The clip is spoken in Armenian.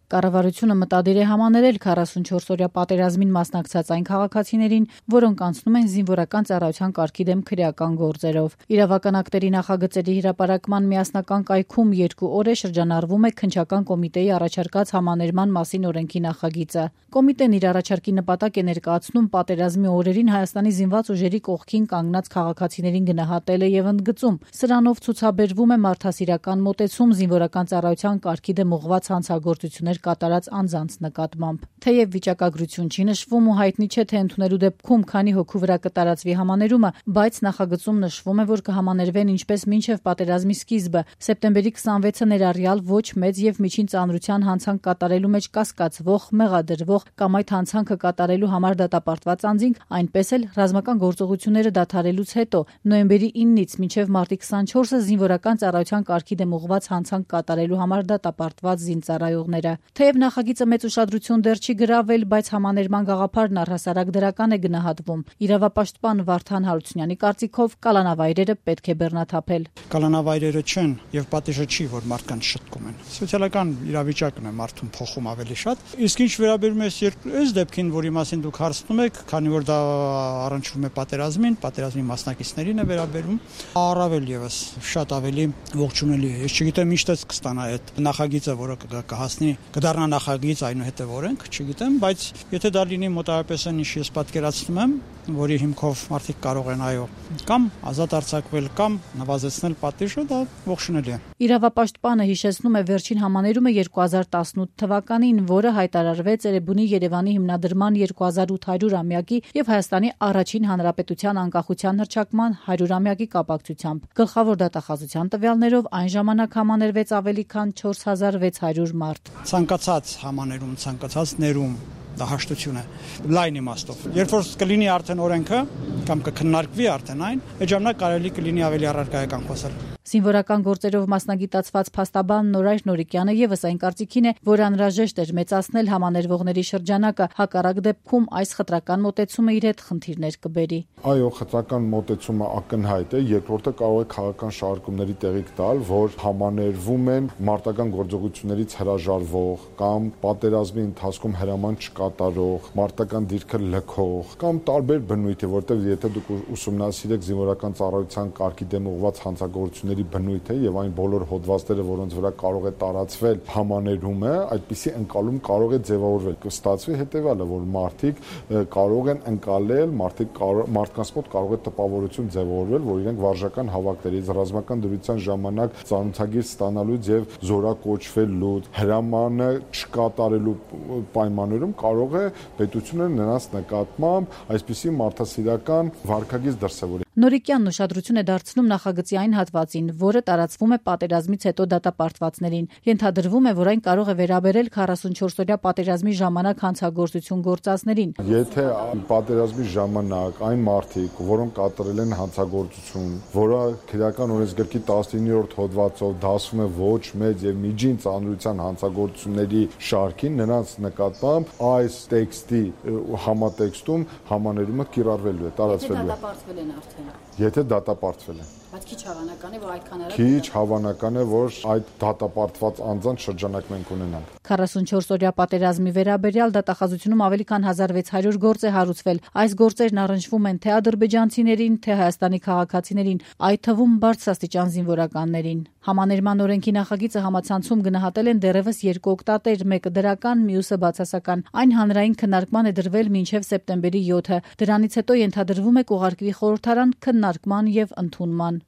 Կառավարությունը մտադիր է համաներել 44-օրյա պատերազմին մասնակցած այն քաղաքացիներին, որոնք անցնում են զինվորական ծառայության կարգի դեմ քրեական գործերով։ Իրավական ակտերի նախագծերի հրապարակման միասնական կայքում 2 օր է շրջանառվում է Քննչական կոմիտեի առաջարկած համաներման մասին օրենքի նախագիծը։ Կոմիտեն իր առաջարկի նպատակ է ներկայացնում պատերազմի օրերին Հայաստանի զինված ուժերի կողքին կանգնած քաղաքացիներին գնահատելը եւ ընդգծում։ Սրանով ցուցաբերվում է մարդասիրական մոտեցում զինվորական ծառայության կարգի դեմ ուղղված հանցագործություններ կատարած անձանց նկատմամբ։ Թեև վիճակագրություն չի նշվում ու հայտնի չէ, թե ընդունելու դեպքում քանի հոգու վրա կտարածվի համաներումը, բայց նախագծում նշվում է, որ կհամաներվեն ինչպես մինչև պատերազմի սկիզբը, սեպտեմբերի 26-ը ներառյալ ոչ մեծ եւ միջին ծանրության հանցանք կատարելու մեջ կասկածվող, մեղադրվող կամ այդ հանցանքը կատարելու համար դատապարտված անձինք, այնպես էլ ռազմական գործողությունները դադարելուց հետո նոյեմբերի 9-ից մինչև մարտի 24-ը զինվորական ծառայության կարգի դեմ ուղղված հանցանք կատարելու համար դատապարտված զինծառայողները։ Թեև նախագիծը մեծ ուշադրություն դեռ չի գրավել, բայց համաներման գաղափարն առհասարակ դրական է գնահատվում։ Իրավապաշտպան Վարդան Հարությունյանի կարծիքով կալանավայրերը պետք է բեռնաթափել։ Կալանավայրերը չեն եւ պատիժը չի, որ մարդկանց շտկում են։ Սոցիալական իրավիճակն է մարդուն փոխում ավելի շատ։ Իսկ ինչ վերաբերում է այս դեպքին, որի մասին դուք հարցնում եք, քանի որ դա առնչվում է պատերազմի մասնակիցներին է վերաբերում, առավել եւս շատ ավելի ողջունելի է։ Ես չգիտեմ ինչ տեսք կստանա այդ նախագիծը, որը կհասնի, կդառնա նախագիծ, այնուհետև օրենք, չգիտեմ, բայց եթե դա լինի մոտավորապես այն, ինչ ես պատկերացնում եմ, որի հիմքով մարդիկ կարող են կամ ազատ արձակվել, կամ նվազեցնել պատիժը, դա ողջունելի է։ Իրավապաշտպանը հիշեցնում է վերջին համաներումը 2018 թվականին, որը հայտարարվեց Էրեբունի Երևանի հիմնադրման 2800-ամյակի եւ Հայաստանի առաջին հանրապետության անկախության հռչակման 100-ամյակի կապակցությամբ։ Գլխավոր դատախազության տվյալներով այն ժամանակ համաներվեց ավելի քան 4600 մարդ։ Ցանկացած համաներում, ցանկացած ներում դա հաշտություն է լայն իմաստով։ Երբ որ կլինի արդեն օրենքը կամ կքննարկվի արդեն այն, այդ ժամանակ կարելի կլինի ավելի առարկայական խոսել։ Զինվորական գործերով մասնագիտացված փաստաբան Նորայր Նորիկյանը եւս այն կարծիքին է, որ անհրաժեշտ էր մեծացնել համաներվողների շրջանակը, հակառակ դեպքում այս խտրական մոտեցումը իր հետ խնդիրներ կբերի։ Այո, խտրական մոտեցումը ակնհայտ է, երկրորդը կարող է քաղաքական շարժումների տեղիք տալ, որ համաներվում են մարտական գործողություններից հրաժարվող կամ պատերազմի ընթացքում հրաման չկատարող, մարտական դիրքը լքող կամ տարբեր բնույթի, որտեղ եթե դուք ուսումնասիրեք զինվորական ծառայության կարգի դեմ ուղղված հանցագործությունների բնույթը եւ այն բոլոր հոդվածները, որոնց վրա կարող է տարածվել համաներումը, այդպիսի ընկալում կարող է ձևավորվել։ Կստացվի հետեւյալը, որ մարդիկ կարող են ընկալել, մարդկանց մոտ կարող է տպավորություն ձևավորվել, որ իրենք վարժական հավաքներից ռազմական դրության ժամանակ ծանոթագիր ստանալուց եւ զորակոչվելուց, հրամանը չկատարելու պայմաններում կարող է պետությունը նրանց նկատմամբ այսպիսի մարդասիրական վարքագիծ դրսևորի։ Նորիկյանն ուշադրություն է դարձնում նախագծի այն հատվածին, որը տարածվում է պատերազմից հետո դատապարտվածներին։ Ենթադրվում է, որ այն կարող է վերաբերել 44-օրյա պատերազմի ժամանակ հանցագործություն գործածներին։ Եթե պատերազմի ժամանակ այն մարդիկ, որոնք կատարել են հանցագործություն, որը քրեական օրենսգրքի 19-րդ հոդվածով դասվում է ոչ մեծ եւ միջին ծանրության հանցագործությունների շարքին, նրանց նկատմամբ այս տեքստի համատեքստում համաներումը կիրառվելու է, տարածվելու է։ Եթե դատապարտվել են։ Բայց քիչ հավանական է, որ այդքան արագ։ Քիչ հավանական է, որ այդ դատապարտված անձանց շրջանակ մենք ունենանք։ 44-օրյա պատերազմի վերաբերյալ դատախազությունում ավելի քան 1600 գործ է հարուցվել։ Այս գործերն առնչվում են թե ադրբեջանցիներին, թե Հայաստանի քաղաքացիներին, այդ թվում բարձրաստիճան զինվորականներին։ Համաներման օրենքի նախագիծը համացանցում գնահատել են դեռևս 2 օգտատեր, մեկը դրական, մյուսը բացասական։ Այն հանրային քննարկման է դրվել մինչև սեպտեմբերի 7-ը։ Դրանից հետո ենթադրվում է կուղարկվի խորհրդարան քննարկման եւ ընդունման։